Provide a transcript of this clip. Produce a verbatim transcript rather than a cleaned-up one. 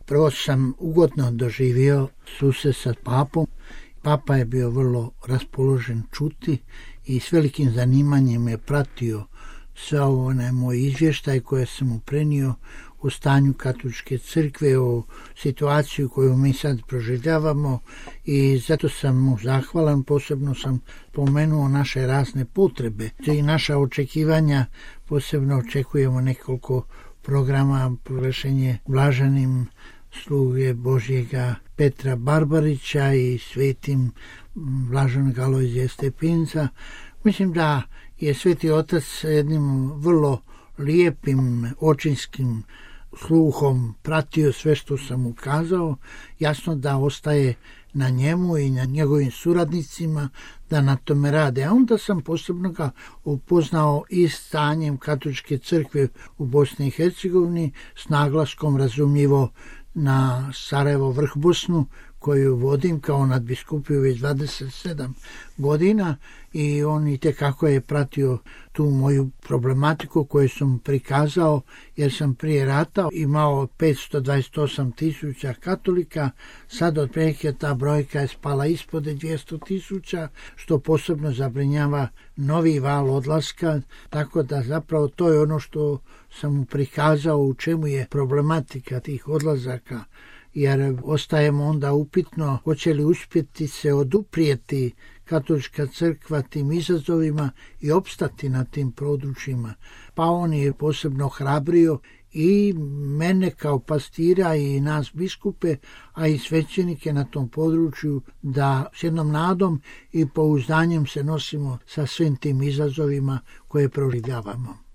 Prvo sam ugodno doživio susret sa papom. Papa je bio vrlo raspoložen čuti i s velikim zanimanjem je pratio sve ovo na moj izvještaj koje sam mu prenio o stanju katoličke crkve, o situaciju koju mi sad proživljavamo i zato sam mu zahvalan. Posebno sam pomenuo naše razne potrebe i naša očekivanja. Posebno očekujemo nekoliko programa, proglašenje blaženim sluge Božjega Petra Barbarića i svetim blaženog Alojzija Stepinca. Mislim da je Sveti Otac jednim vrlo lijepim očinskim sluhom pratio sve što sam mu kazao. Jasno da ostaje na njemu i na njegovim suradnicima da na tome rade. A onda sam posebno ga upoznao i stanjem katoličke crkve u Bosni i Hercegovini, s naglaskom razumljivo na Sarajevo Vrhbosnu, koju vodim kao nadbiskupiju već dvadeset sedam godina, i on itekako je pratio tu moju problematiku koju sam prikazao, jer sam prije rata imao petsto dvadeset osam tisuća katolika, sad otprilike ta brojka je spala ispod dvjesto tisuća, što posebno zabrinjava novi val odlaska, tako da zapravo to je ono što sam mu prikazao u čemu je problematika tih odlazaka, jer ostajemo onda upitno hoće li uspjeti se oduprijeti katolička crkva tim izazovima i opstati na tim područjima. Pa on je posebno hrabrio i mene kao pastira i nas biskupe, a i svećenike na tom području, da s jednom nadom i pouzdanjem se nosimo sa svim tim izazovima koje proživljavamo.